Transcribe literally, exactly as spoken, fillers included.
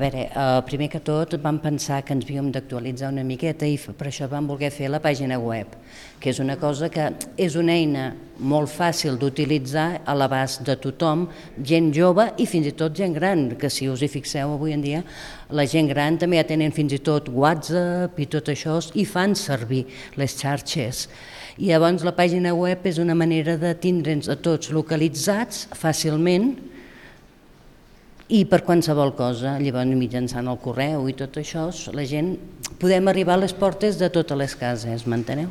A veure, primer que tot vam pensar que ens havíem d'actualitzar una miqueta i per això vam voler fer la pàgina web, que és una cosa que és una eina molt fàcil d'utilitzar a l'abast de tothom, gent jove i fins i tot gent gran, que si us hi fixeu avui en dia la gent gran també ja tenen fins i tot WhatsApp i tot això i fan servir les xarxes. I llavors la pàgina web és una manera de tindre'ns a tots localitzats fàcilment i per qualsevol cosa, llavors mitjançant el correu i tot això, la gent podem arribar a les portes de totes les cases, m'enteneu?